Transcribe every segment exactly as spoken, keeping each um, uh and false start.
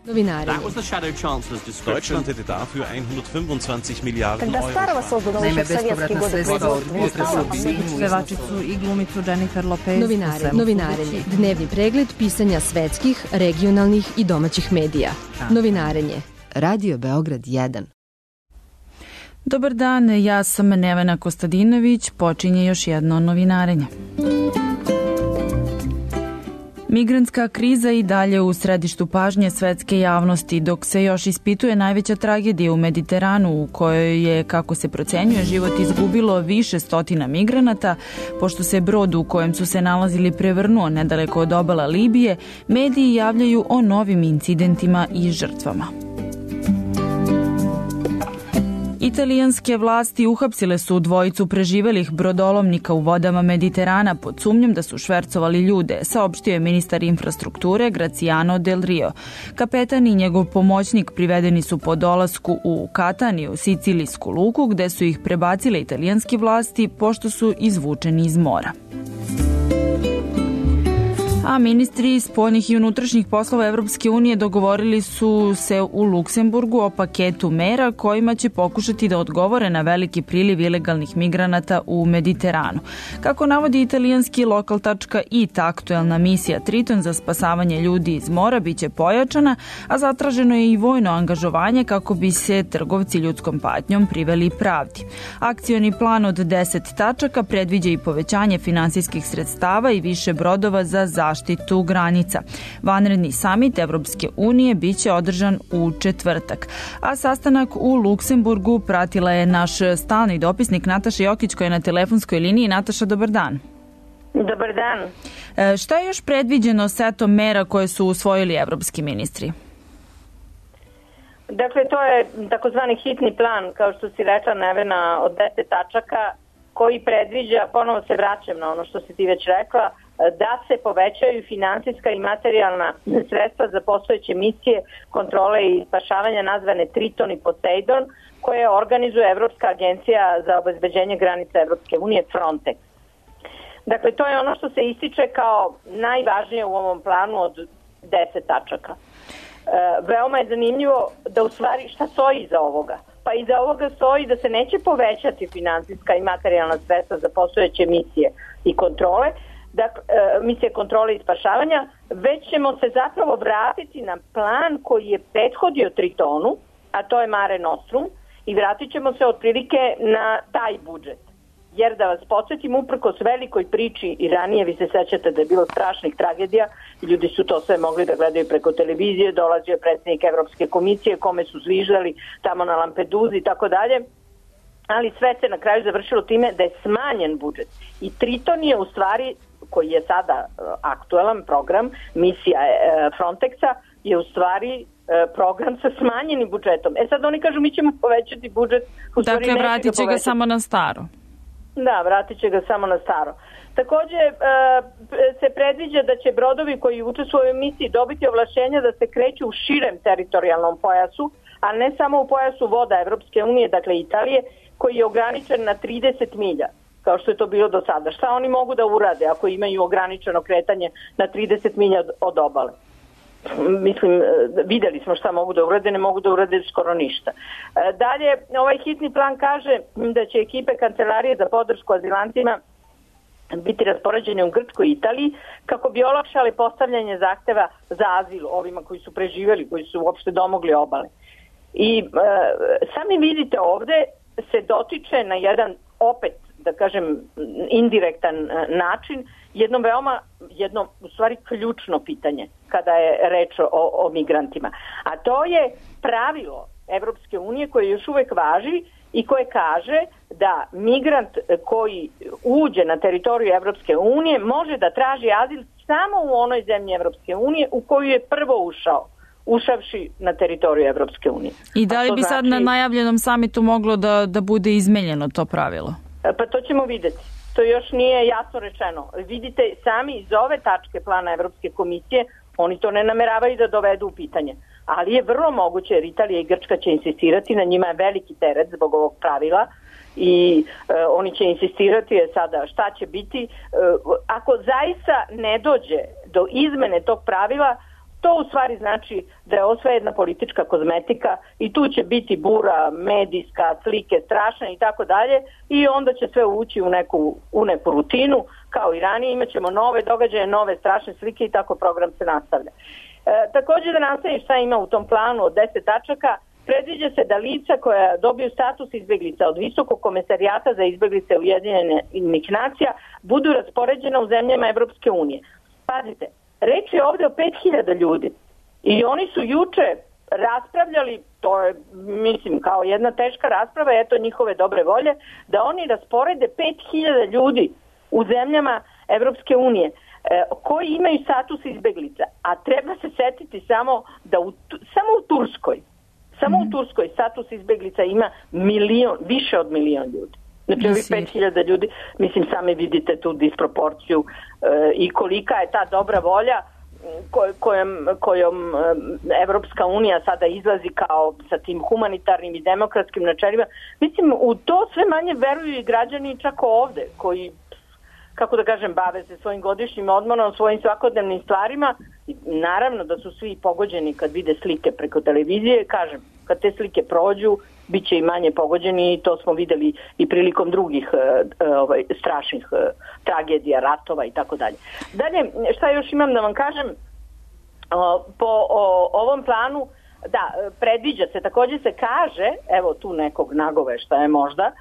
Novinarenje. Deutschland hätte dafür hundertfünfundzwanzig Miliarden Euro. Naime, bespovratna sredstva od unutrašnjeg biznisa. Pevačicu i glumicu Jennifer Lopez. Novinare, novinarenje. Dnevni pregled pisanja svetskih, regionalnih i domaćih medija. Novinarenje. Radio Beograd jedan. Dobar dan, ja sam Nevena Kostadinović, počinje još jedno novinarenje. Migrantska kriza i dalje u središtu pažnje svetske javnosti, dok se još ispituje najveća tragedija u Mediteranu u kojoj je, kako se procenjuje, život izgubilo više stotina migranata. Pošto se brod u kojem su se nalazili prevrnuo nedaleko od obala Libije, mediji javljaju o novim incidentima i žrtvama. Italijanske vlasti uhapsile su dvojicu preživelih brodolomnika u vodama Mediterana pod sumnjom da su švercovali ljude, saopštio je ministar infrastrukture Graziano Del Rio. Kapetan i njegov pomoćnik privedeni su po dolasku u Kataniju, sicilijsku luku, gde su ih prebacile italijanske vlasti pošto su izvučeni iz mora. A ministri spoljnih i unutrašnjih poslova Evropske unije dogovorili su se u Luksemburgu o paketu mera kojima će pokušati da odgovore na veliki priliv ilegalnih migranata u Mediteranu. Kako navodi italijanski lokal tačka it, aktuelna misija Triton za spasavanje ljudi iz mora biće pojačana, a zatraženo je i vojno angažovanje kako bi se trgovci ljudskom patnjom priveli pravdi. Akcioni plan od deset tačaka predviđa i povećanje finansijskih sredstava i više brodova za zaštitu zaštitu granica. Vanredni samit Evropske unije biće održan u četvrtak. A sastanak u Luksemburgu pratila je naš stalni dopisnik Nataša Jokić koja je na telefonskoj liniji. Nataša, dobar dan. Dobar dan. E, šta je još predviđeno setom mera koje su usvojili evropski ministri? Dakle, to je takozvani hitni plan, kao što si rekla, Nevena, od deset tačaka koji predviđa, ponovo se vraćam na ono što si ti već rekla, da se povećaju finansijska i materijalna sredstva za postojeće misije kontrole i spašavanja nazvane Triton i Poseidon, koje organizuje Evropska agencija za obezbeđenje granica Evropske unije Frontex. Dakle, to je ono što se ističe kao najvažnije u ovom planu od deset tačaka. E, veoma je zanimljivo da u stvari šta stoji iza ovoga. Pa iza ovoga stoji da se neće povećati finansijska i materijalna sredstva za postojeće misije i kontrole, dakle, misije kontrole i spašavanja, već ćemo se zapravo vratiti na plan koji je prethodio Tritonu, a to je Mare Nostrum, i vratit ćemo se otprilike na taj budžet. Jer da vas podsjetim, uprkos velikoj priči i ranije, vi se sećate da je bilo strašnih tragedija, ljudi su to sve mogli da gledaju preko televizije, dolazio je predsjednik Evropske komisije kome su zviždali tamo na Lampeduzi i tako dalje, ali sve se na kraju završilo time da je smanjen budžet. I Triton je u stvari, koji je sada aktuelan program, misija Frontexa, je u stvari program sa smanjenim budžetom. E sad oni kažu mi ćemo povećati budžet. Dakle, vratit će ga samo na staro. Da, vratit će ga samo na staro. Takođe se predviđa da će brodovi koji učestvuju u misiji dobiti ovlašćenja da se kreću u širem teritorijalnom pojasu, a ne samo u pojasu voda Evropske unije, dakle Italije, koji je ograničen na trideset milja, kao što je to bilo do sada. Šta oni mogu da urade ako imaju ograničeno kretanje na trideset milja od obale? Mislim, videli smo šta mogu da urade, ne mogu da urade skoro ništa. Dalje, ovaj hitni plan kaže da će ekipe Kancelarije za podršku azilantima biti raspoređene u Grčkoj i Italiji kako bi olakšali postavljanje zahteva za azil ovima koji su preživeli, koji su uopšte domogli obale. I e, sami vidite ovde se dotiče na jedan opet, da kažem, indirektan način, jedno veoma, jedno u stvari ključno pitanje kada je reč o, o migrantima. A to je pravilo Evropske unije koje još uvek važi i koje kaže da migrant koji uđe na teritoriju Evropske unije može da traži azil samo u onoj zemlji Evropske unije u koju je prvo ušao, ušavši na teritoriju Evropske unije. I da li bi sad znači, na najavljenom samitu moglo da, da bude izmenjeno to pravilo? Pa to ćemo videti. To još nije jasno rečeno. Vidite, sami iz ove tačke plana Evropske komisije, oni to ne nameravaju da dovedu u pitanje. Ali je vrlo moguće, jer Italija i Grčka će insistirati, na njima je veliki teret zbog ovog pravila i e, oni će insistirati je sada šta će biti. E, ako zaista ne dođe do izmene tog pravila, to u stvari znači da je ovo sve jedna politička kozmetika i tu će biti bura, medijska, slike strašne i tako dalje i onda će sve ući u neku, u neku rutinu, kao i ranije imat ćemo nove događaje, nove strašne slike i tako program se nastavlja. E, također da nastavim šta ima u tom planu od deset tačaka, predviđa se da lica koja dobiju status izbeglica od Visokog komesarijata za izbeglice Ujedinjenih nacija budu raspoređena u zemljama Evropske unije. Pazite, reč je ovdje o pet hiljada ljudi i oni su juče raspravljali, to je mislim kao jedna teška rasprava, eto njihove dobre volje, da oni rasporede pet hiljada ljudi u zemljama Evropske unije e, koji imaju status izbeglica, a treba se setiti samo da u, samo u Turskoj Samo u Turskoj status izbeglica ima milion, više od milion ljudi. Znači ovih pet hiljada ljudi, mislim sami vidite tu disproporciju e, i kolika je ta dobra volja koj, kojom, kojom Evropska unija sada izlazi kao sa tim humanitarnim i demokratskim načelima. Mislim, u to sve manje veruju i građani čak ovde, koji, kako da kažem, bave se svojim godišnjim odmorom, svojim svakodnevnim stvarima. Naravno da su svi pogođeni kad vide slike preko televizije, kažem, kad te slike prođu, bit će i manje pogođeni i to smo videli i prilikom drugih uh, ovaj, strašnih uh, tragedija, ratova i tako dalje. Dalje, šta još imam da vam kažem, uh, po o, ovom planu, da, predviđa se, također se kaže, evo tu nekog nagoveštaja je možda,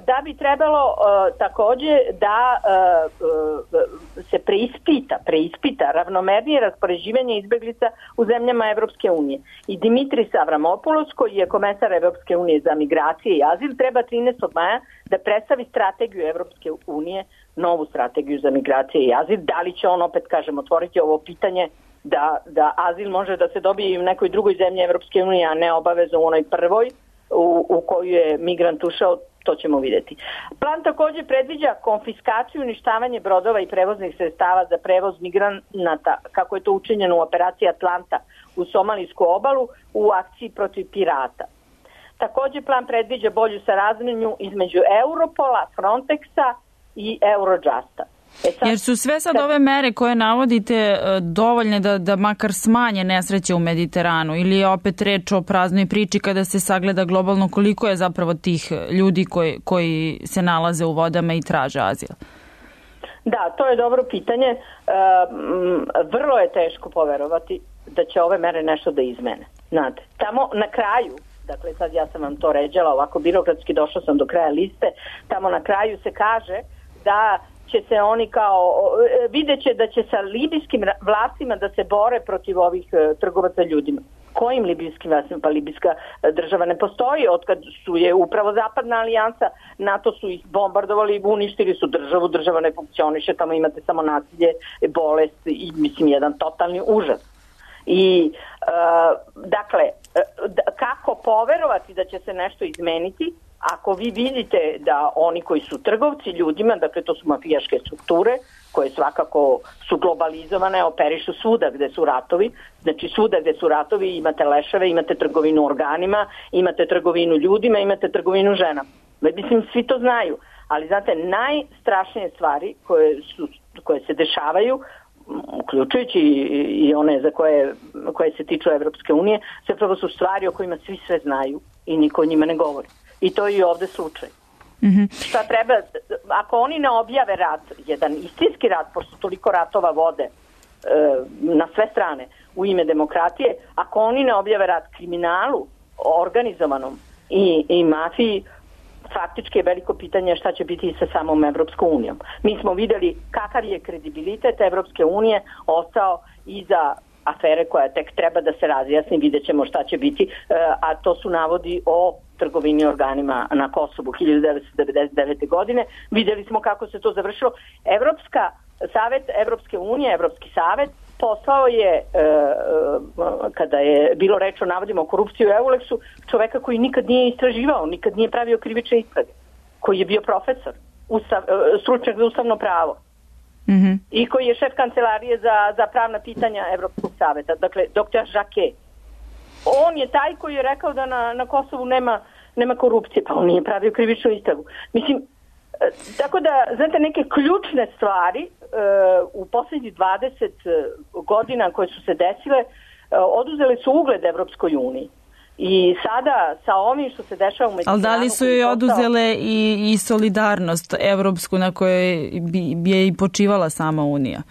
da bi trebalo uh, također da uh, se preispita, preispita ravnomernije raspoređivanje izbeglica u zemljama Evropske unije. I Dimitris Avramopoulos, koji je komesar Evropske unije za migracije i azil, treba trinaestog maja da predstavi strategiju Evropske unije, novu strategiju za migracije i azil. Da li će on, opet kažem, otvoriti ovo pitanje da, da azil može da se dobije i u nekoj drugoj zemlji Evropske unije, a ne obavezno u onoj prvoj u, u koju je migrant ušao, to ćemo vidjeti. Plan također predviđa konfiskaciju i uništavanje brodova i prevoznih sredstava za prevoz migranata, kako je to učinjeno u operaciji Atlanta u Somalijsku obalu u akciji protiv pirata. Također plan predviđa bolju saradnju između Europola, Frontexa i Eurojusta. E sad, jer su sve sad ove mere koje navodite dovoljne da, da makar smanje nesreće u Mediteranu ili je opet reč o praznoj priči kada se sagleda globalno koliko je zapravo tih ljudi koji, koji se nalaze u vodama i traže azil? Da, to je dobro pitanje. E, vrlo je teško poverovati da će ove mere nešto da izmene. Znate, tamo na kraju, dakle sad ja sam vam to ređala, ovako birokratski došla sam do kraja liste, tamo na kraju se kaže da će se oni kao, vidjet će da će sa libijskim vlastima da se bore protiv ovih uh, trgovaca ljudima. Kojim libijskim vlastima? Pa libijska država ne postoji, otkad su je upravo zapadna alijansa, NATO su ih bombardovali, uništili su državu, država ne funkcioniše, tamo imate samo nasilje, bolest i mislim jedan totalni užas. I uh, dakle, uh, kako poverovati da će se nešto izmeniti ako vi vidite da oni koji su trgovci ljudima, dakle to su mafijaške strukture koje svakako su globalizovane, operišu svuda gde su ratovi, znači svuda gde su ratovi imate leševe, imate trgovinu organima, imate trgovinu ljudima, imate trgovinu ženama. Mislim, svi to znaju, ali znate, najstrašnije stvari koje, su, koje se dešavaju, uključujući i one za koje, koje se tiču Evropske unije, zapravo su stvari o kojima svi sve znaju i niko o njima ne govori. I to je i ovde slučaj. Mm-hmm. Šta treba, ako oni ne objave rat, jedan istinski rat, pošto toliko ratova vode e, na sve strane u ime demokratije, ako oni ne objave rat kriminalu, organizovanom i, i mafiji, faktički je veliko pitanje šta će biti sa samom Evropskom unijom. Mi smo videli kakav je kredibilitet Evropske unije ostao iza afere koja tek treba da se razjasni, vidjet ćemo šta će biti, a to su navodi o trgovini organima na Kosovu hiljadu devetsto devedeset devete. godine. Vidjeli smo kako se to završilo. Evropska savet Evropske unije, Evropski savet poslao je, kada je bilo reč o navodima o korupciji u Euleksu, čoveka koji nikad nije istraživao, nikad nije pravio krivične istrage, koji je bio profesor, ustav, stručnjak za ustavno pravo. Mm-hmm. I koji je šef kancelarije za, za pravna pitanja Evropskog saveta, dakle doktor Jacquet. On je taj koji je rekao da na, na Kosovu nema, nema korupcije, pa on nije pravio krivičnu istragu. Mislim, Tako da, znate, neke ključne stvari u posljednjih dvadeset godina koje su se desile oduzele su ugled Evropskoj uniji. I sada sa ovim što se dešava u Mediteranu... Ali da li su joj oduzele i, i solidarnost evropsku na kojoj bi, bi je i počivala sama Unija?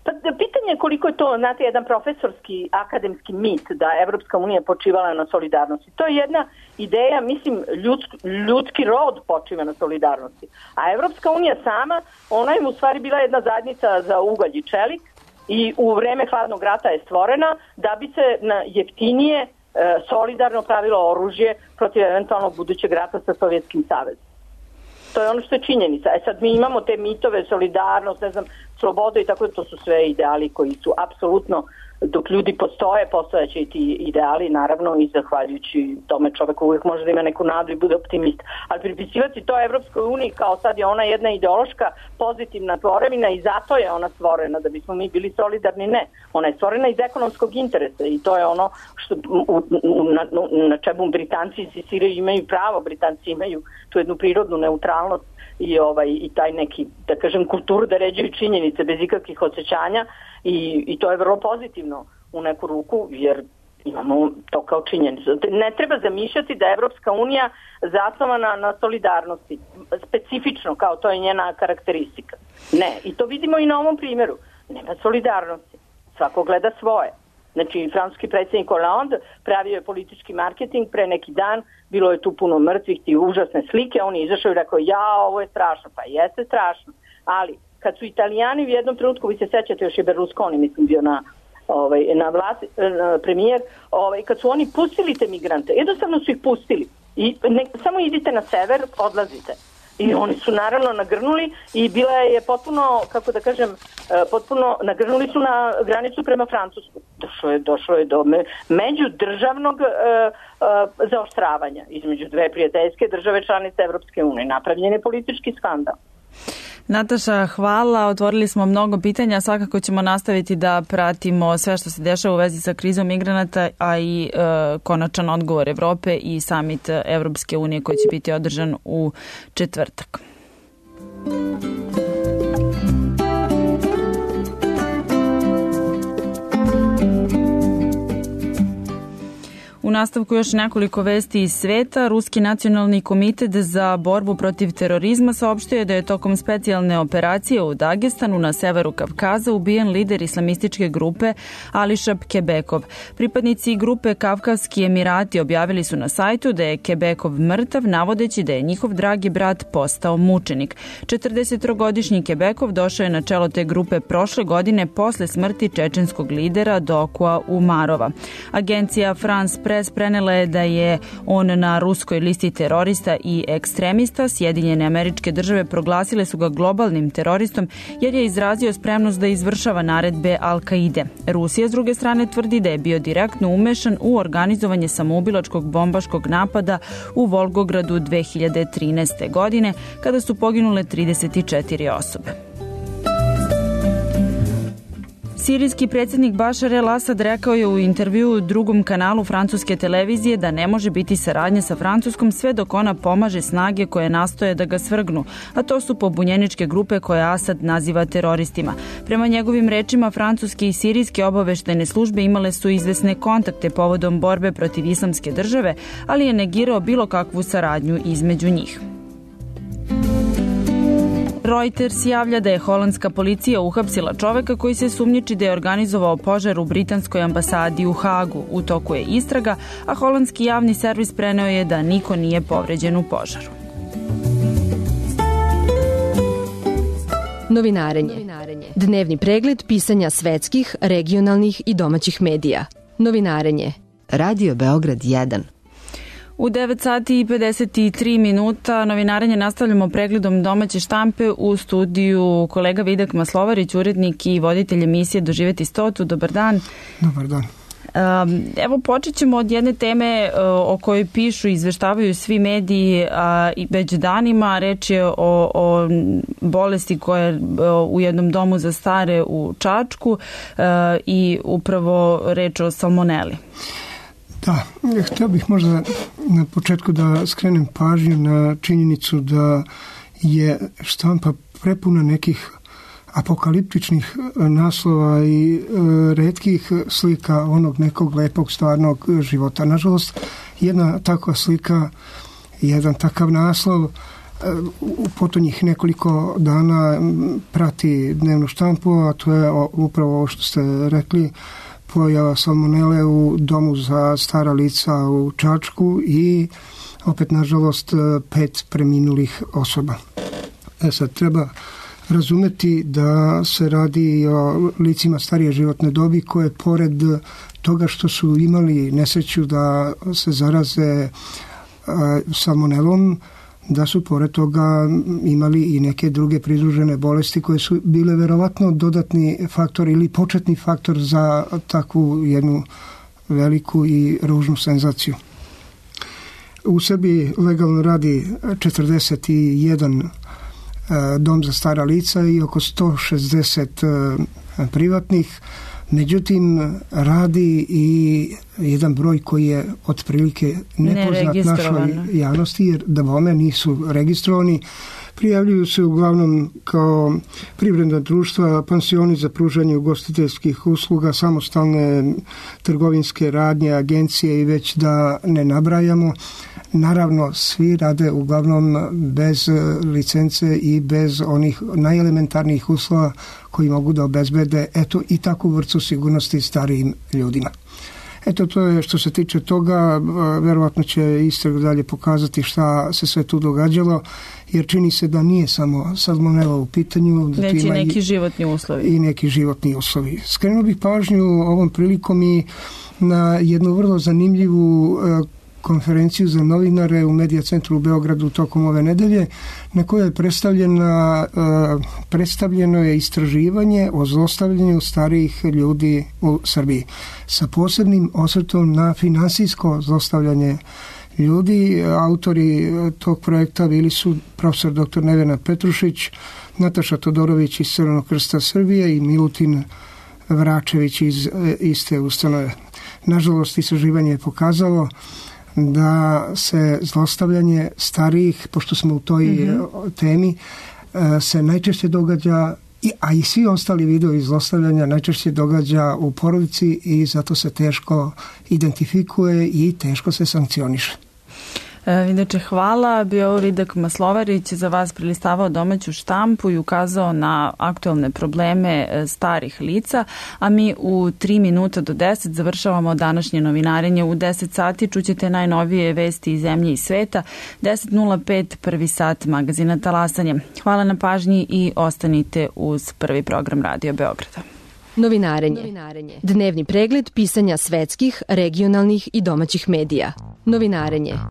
Pa pitanje je koliko je to, znate, jedan profesorski akademski mit da Evropska unija počivala na solidarnosti. To je jedna ideja, mislim, ljudski, ljudski rod počiva na solidarnosti. A Evropska unija sama, ona je u stvari bila jedna zajednica za ugalj i čelik i u vreme hladnog rata je stvorena da bi se na jeftinije, solidarno pravilo oružje protiv eventualnog budućeg rata sa Sovjetskim savezom. To je ono što je činjenica. E sad mi imamo te mitove, solidarnost, ne znam, sloboda i tako da to su sve ideali koji su apsolutno, dok ljudi postoje, postojeće i ti ideali, naravno i zahvaljujući tome čovek uvijek može da ima neku nadu i bude optimist. Ali pripisivati to Evropskoj uniji kao sad je ona jedna ideološka pozitivna tvorevina i zato je ona stvorena, da bismo mi bili solidarni, ne. Ona je stvorena iz ekonomskog interesa i to je ono što u, na, na čemu Britanci insistiraju, imaju pravo, Britanci imaju tu jednu prirodnu neutralnost i ovaj i taj neki, da kažem, kulturu da ređuju činjenice bez ikakvih osjećanja i, i to je vrlo pozitivno u neku ruku jer imamo to kao činjenicu. Ne treba zamišljati da je Evropska unija zasnovana na solidarnosti, specifično kao to je njena karakteristika. Ne, i to vidimo i na ovom primjeru. Nema solidarnosti. Svako gleda svoje. Znači, francuski predsjednik Hollande pravio je politički marketing pre neki dan, bilo je tu puno mrtvih, ti užasne slike, on je izašao i rekao, ja, ovo je strašno, pa jeste strašno, ali kad su Italijani u jednom trenutku, vi se sećate, još je Berlusconi, mislim, bio na, ovaj, na vlast, na premijer, ovaj, kad su oni pustili te migrante, jednostavno su ih pustili i ne, samo idite na sever, odlazite. I oni su naravno nagrnuli i bila je potpuno, kako da kažem, potpuno nagrnuli su na granicu prema Francusku. Došlo je, došlo je do međudržavnog uh, uh, zaoštravanja između dve prijateljske države članice Evropske unije. Napravljen je politički skandal. Nataša, hvala. Otvorili smo mnogo pitanja. Svakako ćemo nastaviti da pratimo sve što se dešava u vezi sa krizom migranata, a i e, konačan odgovor Evrope i samit Evropske unije koji će biti održan u četvrtak. U nastavku još nekoliko vesti iz sveta. Ruski nacionalni komitet za borbu protiv terorizma saopštio je da je tokom specijalne operacije u Dagestanu na severu Kavkaza ubijen lider islamističke grupe Ališab Kebekov. Pripadnici grupe Kavkavski Emirati objavili su na sajtu da je Kebekov mrtav, navodeći da je njihov dragi brat postao mučenik. četrdesettrogodišnji Kebekov došao je na čelo te grupe prošle godine posle smrti čečenskog lidera Dokua Umarova. Agencija France Press prenela je da je on na ruskoj listi terorista i ekstremista. Sjedinjene Američke Države proglasile su ga globalnim teroristom jer je izrazio spremnost da izvršava naredbe Al-Kaide. Rusija s druge strane tvrdi da je bio direktno umešan u organizovanje samoubilačkog bombaškog napada u Volgogradu dve hiljade trinaeste. godine kada su poginule trideset četiri osobe. Sirijski predsjednik Bašar el-Asad rekao je u intervjuu drugom kanalu francuske televizije da ne može biti saradnje sa Francuskom sve dok ona pomaže snage koje nastoje da ga svrgnu, a to su pobunjeničke grupe koje Asad naziva teroristima. Prema njegovim rečima, francuske i sirijske obaveštajne službe imale su izvesne kontakte povodom borbe protiv islamske države, ali je negirao bilo kakvu saradnju između njih. Reuters javlja da je holandska policija uhapsila čoveka koji se sumnjiči da je organizovao požar u britanskoj ambasadi u Hagu. U toku je istraga, a holandski javni servis preneo je da niko nije povređen u požaru. Novinarenje. Dnevni pregled pisanja svetskih, regionalnih i domaćih medija. Novinarenje. Radio Beograd jedan. U devet sati i pedeset tri minuta novinarenje nastavljamo pregledom domaće štampe u studiju kolega Vidak Maslovarić, urednik i voditelj emisije Doživeti stotu. Dobar dan. Dobar dan. Evo počet ćemo od jedne teme o kojoj pišu i izveštavaju svi mediji i već danima. Reč je o, o bolesti koja je u jednom domu za stare u Čačku i upravo reč o salmoneli. Da, htio bih možda na početku da skrenem pažnju na činjenicu da je štampa prepuna nekih apokaliptičnih naslova i e, retkih slika onog nekog lepog stvarnog života. Nažalost, jedna takva slika, jedan takav naslov e, u potonjih nekoliko dana prati dnevnu štampu, a to je o, upravo ovo što ste rekli, pojava salmonele u domu za stara lica u Čačku i opet, nažalost, pet preminulih osoba. E sad, treba razumeti da se radi o licima starije životne dobi koje pored toga što su imali nesreću da se zaraze salmonelom, da su pored toga imali i neke druge pridružene bolesti koje su bile verovatno dodatni faktor ili početni faktor za takvu jednu veliku i ružnu senzaciju. U Srbiji legalno radi četrdeset jedan dom za stara lica i oko sto šezdeset privatnih. Međutim, radi i jedan broj koji je otprilike nepoznat našoj javnosti, jer da bome nisu registrovani. Prijavljuju se uglavnom kao privredna društva, pansioni za pružanje ugostiteljskih usluga, samostalne trgovinske radnje, agencije i već da ne nabrajamo. Naravno, svi rade uglavnom bez licence i bez onih najelementarnijih uslova koji mogu da obezbede eto i takvu vrstu sigurnosti starijim ljudima. Eto, to je što se tiče toga. Verovatno će istraga dalje pokazati šta se sve tu događalo, jer čini se da nije samo salmonela u pitanju. Da Već i neki i, životni uslovi. I neki životni uslovi. Skrenuo bih pažnju ovom prilikom i na jednu vrlo zanimljivu konferenciju za novinare u Medija centru u Beogradu tokom ove nedelje, na kojoj je predstavljena, predstavljeno je istraživanje o zlostavljanju starijih ljudi u Srbiji, sa posebnim osvrtom na finansijsko zlostavljanje ljudi. Autori tog projekta bili su profesor doktor Nevena Petrušić, Nataša Todorović iz Crvenog krsta Srbije i Milutin Vračević iz iste ustanove. Nažalost, istraživanje je pokazalo da se zlostavljanje starijih, pošto smo u toj mm-hmm. temi, se najčešće događa, a i svi ostali vidovi zlostavljanja najčešće događa u porodici i zato se teško identifikuje i teško se sankcioniše. Inače, hvala. Bio Vidak Maslovarić, za vas prilistavao domaću štampu i ukazao na aktuelne probleme starih lica, a mi u tri minuta do deset završavamo današnje novinarenje. U deset sati čućete najnovije vesti iz zemlje i sveta. deset nula pet prvi sat magazina Talasanje. Hvala na pažnji i ostanite uz prvi program Radio Beograda. Novinarenje. Novinarenje. Dnevni pregled pisanja svetskih, regionalnih i domaćih medija. Novinarenje.